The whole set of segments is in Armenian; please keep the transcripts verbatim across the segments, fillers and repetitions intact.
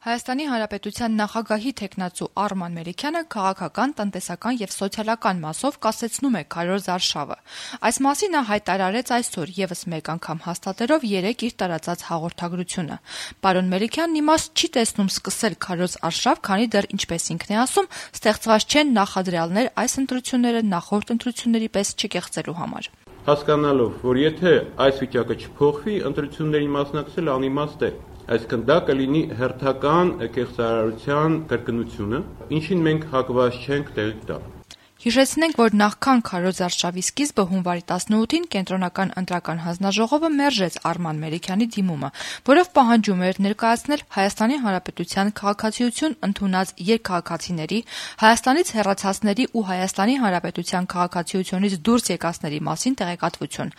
Հայաստանի Հանրապետության նախագահի թեկնածու Արման Մելիքյանը քաղաքական, տնտեսական եւ սոցիալական մասով կասեցնում է քարոզ արշավը։ Այս մասին նա հայտարարեց այսօր եւս մեկ անգամ հաստատելով երեկ իր տարածած հաղորդագրությունը։ Պարոն Մելիքյանն իմաստ չի տեսնում սկսել քարոզ արշավ, քանի դեռ, ինչպես ինքն է ասում, ստեղծված չեն նախադրյալներ այս ընտրությունները նախորդ ընտրությունների պես չկեղծելու համար։ Հասկանալով, որ եթե այս վիճակը չփոխվի, ընտրությունների մասնակցել անիմաստ է։ Այսինքն դա կլինի հերթական կեղծարարության կրկնությունը, ինչին մենք հակված չենք տեղի տալ։ Հիշեցնենք, որ նախքան քարոզ արշավի սկիզբը հունվարի տասնութին կենտրոնական ընտրական հանձնաժողովը մերժեց Արման Մելիքյանի դիմումը, որով պահանջում էր ներկայացնել Հայաստանի Հանրապետության քաղաքացիություն ընդունած երկքաղաքացիների, Հայաստանից հեռացածների ու Հայաստանի Հանրապետության քաղաքացիությունից դուրս եկածների մասին տեղեկատվություն։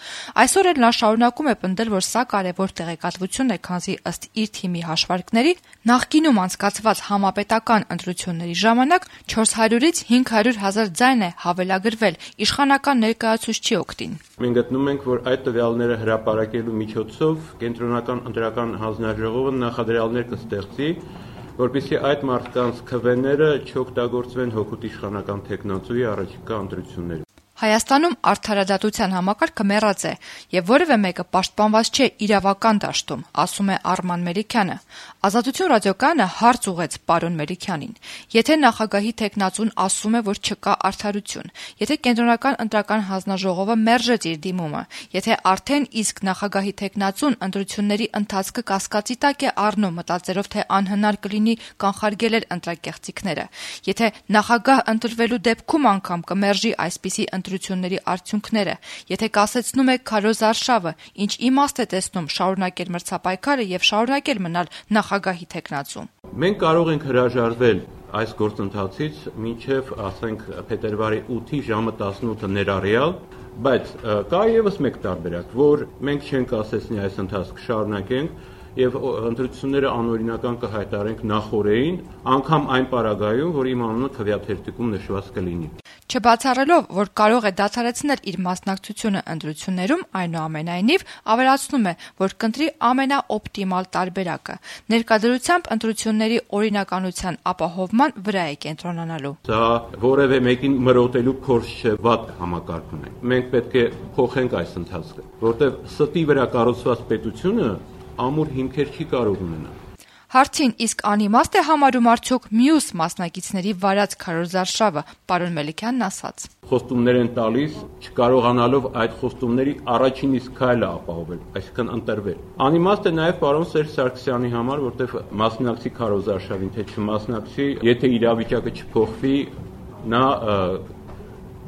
Այսօր էլ նա շարունակում է պնդել, որ սա կարևոր տեղեկատվություն է, քանզի ըստ իր թիմի հաշվարկների նախկինում անցկացված համապետական ընտրությունների ժամանակ չորս հարյուրից հինգ հարյուր հազար ձայն է հավելագրվել, իշխանական ներկայացուցիչ չի օգտին։ Մենք գտնում ենք, որ այդ տվյալները հրապարակելու միջոցով կենտրոնական ընտրական հանձնաժողովը նախադրյալներ կստեղծի, որպեսզի այդ մարդկանց քվեները չօգտագործվեն հօգուտ իշխանական թեկնածուի առաջիկա ընտրություններում։ Հայաստանում արդարադատության համակարգը մեռած է եւ որևէ մեկը պաշտպանված չէ իրավական դաշտում, ասում է Արման Մելիքյանը։ Ազատություն ռադիոկայանը հարց ուղեց պարոն Մելիքյանին։ Եթե նախագահի թեկնածուն ասում է, որ չկա արդարություն, եթե կենտրոնական ընտրական հանձնաժողովը մերժեց իր դիմումը, եթե արդեն իսկ նախագահի թեկնածուն ընտրությունների ընթացքը կասկածի տակ է առնում, մտածելով, թե անհնար կլինի կանխարգելել ընտրակեղծիքները, եթե նախագահ ընտրվելու դեպքում անգամ կմերժի այսպիսի ընտրությունների արդյունքները, եթե կասեցնում է քարոզ արշավը, ինչ իմաստ է տեսնում շարունակել մրցապայքարը եւ շարունակել մնալ նախագահի թեկնածու։ Մենք կարող ենք հրաժարվել այս գործընթացից մինչև, ասենք, փետրվարի ութի ժամը տասնութը ներառյալ, բայց կա եւս մեկ տարբերակ, որ մենք չենք ասեցնի այս ընթացքը շարունակենք եւ ընտրությունները անօրինական կհայտարենք նախօրեին, անգամ այն պարագայում, որ իմ անունը քվեաթերթիկում նշված կլինի։ Չբացառելով, որ կարող է դադարեցնել իր մասնակցությունը ընտրություններում, այնուամենայնիվ ավելացնում է, որ կընտրի ամենաօպտիմալ տարբերակը։ Ներկայությամբ ընտրությունների օրինականության ապահովման վրա է կենտրոնանալու։ Դա որևէ մեկին մրոտելու փորձ չէ, վատ համակարգ ունենք։ Մենք պետք է փոխենք այս ընթացքը, որտեղ ստի վրա կառուցված պետությունը ամուր հիմքեր չի կարող ունենալ։ Հարցին իսկ անիմաստ է համարում արդյոք մյուս մասնակիցների վարած քարոզ արշավը, պարոն Մելիքյանն ասաց. Խոստումներ են տալիս, չկարողանալով այդ խոստումների առաջին իսկ քայլը ապահովել, այսինքն ընտրվել։ Անիմաստ է նաև պարոն Սերժ Սարգսյանի համար, որտեղ մասնակցի քարոզ արշավին, թե չմասնակցի, եթե իրավիճակը չփոխվի, նա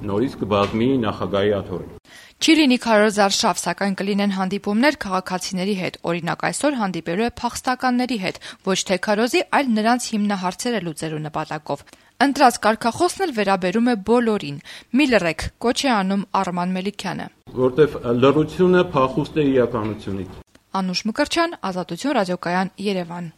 նորից կբազմի նախագահի աթոռին։ Չի լինի քարոզ արշավ, սակայն կլինեն հանդիպումներ քաղաքացիների հետ, օրինակ այսօր հանդիպելու է փախստականների հետ, ոչ թե քարոզի, այլ նրանց հիմնահարցերը լուծելու նպատակով։ Ընտրած կարգախոսն էլ վերաբերում է բոլորին։ Մի լռեք, կոչ է անում Արման Մելիքյանը։ Որտեվ լռությունը փախուստ է իրականությունից։ Անուշ Մկրտչյան, Ազատություն ռադիոկայան, Երևան։